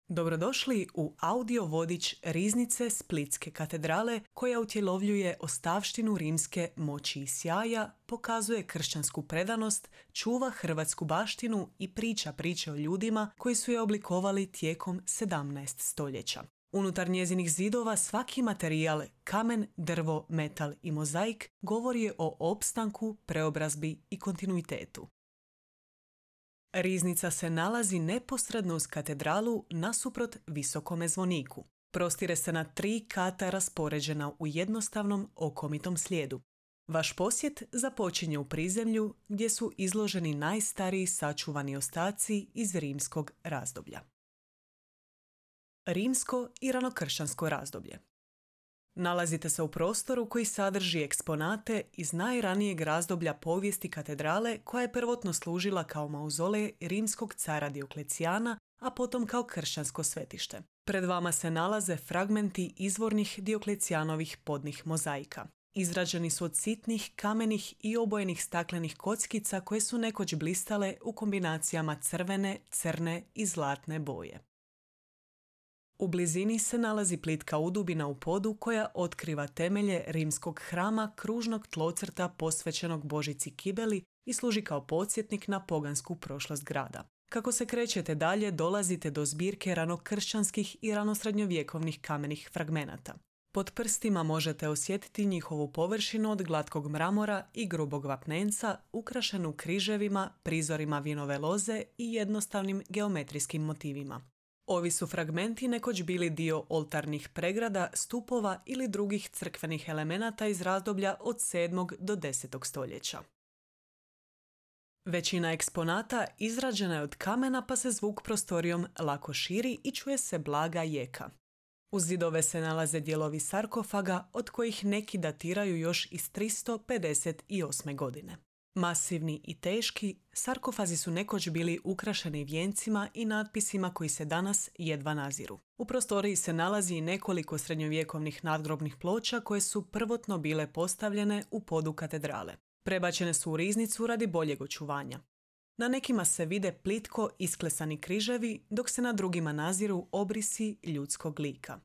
Dobrodošli u audio vodič Riznice Splitske katedrale koja utjelovljuje ostavštinu rimske moći i sjaja, pokazuje kršćansku predanost, čuva hrvatsku baštinu i priča priče o ljudima koji su je oblikovali tijekom 17 stoljeća. Unutar njezinih zidova svaki materijal, kamen, drvo, metal i mozaik govori o opstanku, preobrazbi i kontinuitetu. Riznica se nalazi neposredno uz katedralu nasuprot visokome zvoniku. Prostire se na 3 kata raspoređena u jednostavnom okomitom slijedu. Vaš posjet započinje u prizemlju gdje su izloženi najstariji sačuvani ostaci iz rimskog razdoblja. Rimsko i ranokršćansko razdoblje. Nalazite se u prostoru koji sadrži eksponate iz najranijeg razdoblja povijesti katedrale koja je prvotno služila kao mauzolej rimskog cara Dioklecijana, a potom kao kršćansko svetište. Pred vama se nalaze fragmenti izvornih Dioklecijanovih podnih mozaika. Izrađeni su od sitnih, kamenih i obojenih staklenih kockica koje su nekoć blistale u kombinacijama crvene, crne i zlatne boje. U blizini se nalazi plitka udubina u podu koja otkriva temelje rimskog hrama kružnog tlocrta posvećenog Božici Kibeli i služi kao podsjetnik na pogansku prošlost grada. Kako se krećete dalje, dolazite do zbirke ranokršćanskih i ranosrednjovjekovnih kamenih fragmenata. Pod prstima možete osjetiti njihovu površinu od glatkog mramora i grubog vapnenca, ukrašenu križevima, prizorima vinove loze i jednostavnim geometrijskim motivima. Ovi su fragmenti nekoć bili dio oltarnih pregrada, stupova ili drugih crkvenih elemenata iz razdoblja od 7. do 10. stoljeća. Većina eksponata izrađena je od kamena pa se zvuk prostorijom lako širi i čuje se blaga jeka. Uz zidove se nalaze dijelovi sarkofaga od kojih neki datiraju još iz 358. godine. Masivni i teški, sarkofazi su nekoć bili ukrašeni vijencima i natpisima koji se danas jedva naziru. U prostoriji se nalazi i nekoliko srednjovjekovnih nadgrobnih ploča koje su prvotno bile postavljene u podu katedrale. Prebačene su u riznicu radi boljeg očuvanja. Na nekima se vide plitko isklesani križevi, dok se na drugima naziru obrisi ljudskog lika.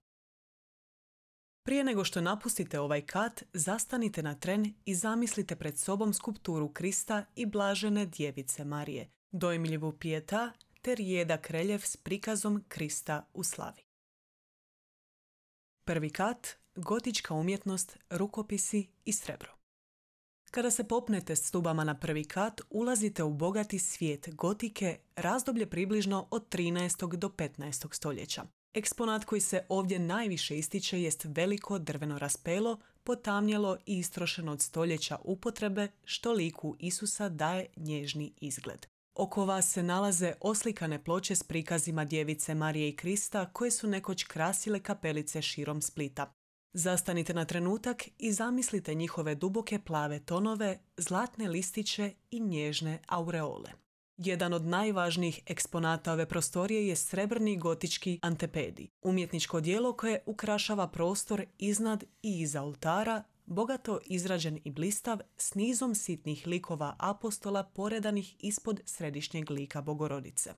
Prije nego što napustite ovaj kat, zastanite na tren i zamislite pred sobom skulpturu Krista i blažene djevice Marije, dojmljivu pijeta te rijedak reljef s prikazom Krista u slavi. Prvi kat, gotička umjetnost, rukopisi i srebro. Kada se popnete stubama na prvi kat, ulazite u bogati svijet gotike, razdoblje približno od 13. do 15. stoljeća. Eksponat koji se ovdje najviše ističe jest veliko drveno raspelo, potamnjelo i istrošeno od stoljeća upotrebe, što liku Isusa daje nježni izgled. Oko vas se nalaze oslikane ploče s prikazima djevice Marije i Krista koje su nekoć krasile kapelice širom Splita. Zastanite na trenutak i zamislite njihove duboke plave tonove, zlatne listiće i nježne aureole. Jedan od najvažnijih eksponata ove prostorije je srebrni gotički antepedi, umjetničko djelo koje ukrašava prostor iznad i iza oltara, bogato izrađen i blistav s nizom sitnih likova apostola poredanih ispod središnjeg lika Bogorodice.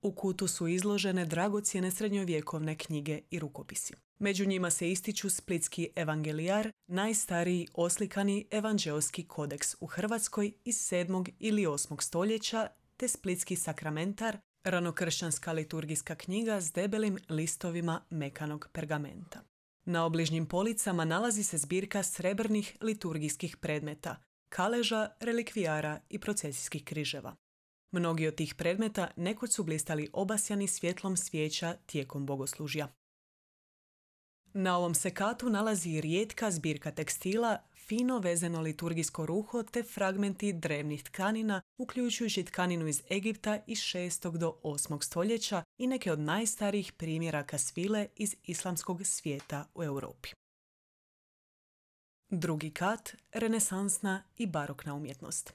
U kutu su izložene dragocjene srednjovjekovne knjige i rukopisi. Među njima se ističu Splitski evangelijar, najstariji oslikani evanđeoski kodeks u Hrvatskoj iz 7. ili 8. stoljeća, te Splitski sakramentar, ranokršćanska liturgijska knjiga s debelim listovima mekanog pergamenta. Na obližnjim policama nalazi se zbirka srebrnih liturgijskih predmeta, kaleža, relikvijara i procesijskih križeva. Mnogi od tih predmeta nekoć su blistali obasjani svjetlom svijeća tijekom bogoslužja. Na ovom se katu nalazi rijetka zbirka tekstila, fino vezeno liturgijsko ruho te fragmenti drevnih tkanina, uključujući tkaninu iz Egipta iz 6. do 8. stoljeća i neke od najstarijih primjeraka svile iz islamskog svijeta u Europi. Drugi kat, renesansna i barokna umjetnost.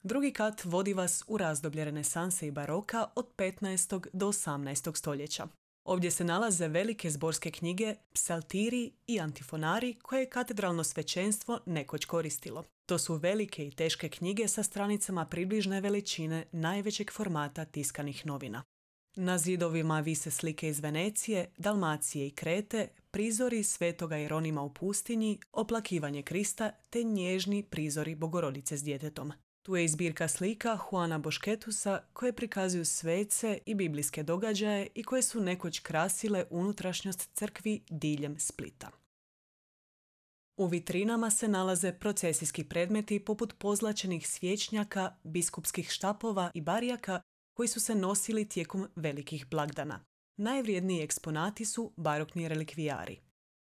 Drugi kat vodi vas u razdoblje renesanse i baroka od 15. do 18. stoljeća. Ovdje se nalaze velike zborske knjige, psaltiri i antifonari koje je katedralno svećenstvo nekoć koristilo. To su velike i teške knjige sa stranicama približne veličine najvećeg formata tiskanih novina. Na zidovima vise slike iz Venecije, Dalmacije i Krete, prizori Svetoga Jeronima u pustinji, oplakivanje Krista te nježni prizori Bogorodice s djetetom. Tu je i zbirka slika Juana Bošketusa koje prikazuju svece i biblijske događaje i koje su nekoć krasile unutrašnjost crkvi diljem Splita. U vitrinama se nalaze procesijski predmeti poput pozlačenih svječnjaka, biskupskih štapova i barijaka koji su se nosili tijekom velikih blagdana. Najvrijedniji eksponati su barokni relikvijari.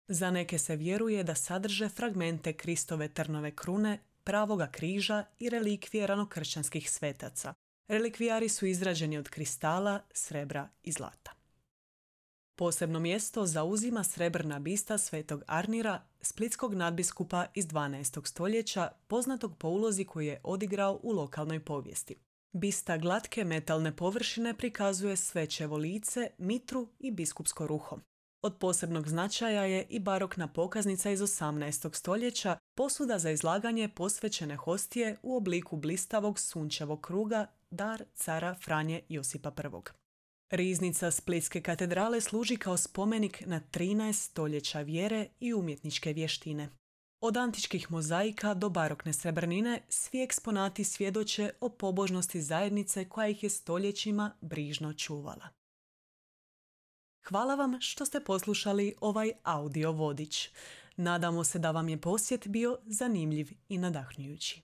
Za neke se vjeruje da sadrže fragmente Kristove trnove krune, pravoga križa i relikvije ranokršćanskih svetaca. Relikvijari su izrađeni od kristala, srebra i zlata. Posebno mjesto zauzima srebrna bista svetog Arnira, splitskog nadbiskupa iz 12. stoljeća, poznatog po ulozi koju je odigrao u lokalnoj povijesti. Bista glatke metalne površine prikazuje svećevo lice, mitru i biskupsko ruho. Od posebnog značaja je i barokna pokaznica iz 18. stoljeća, posuda za izlaganje posvećene hostije u obliku blistavog sunčevog kruga, dar cara Franje Josipa I. Riznica Splitske katedrale služi kao spomenik na 13 stoljeća vjere i umjetničke vještine. Od antičkih mozaika do barokne srebrnine svi eksponati svjedoče o pobožnosti zajednice koja ih je stoljećima brižno čuvala. Hvala vam što ste poslušali ovaj audio vodič. Nadamo se da vam je posjet bio zanimljiv i nadahnjujući.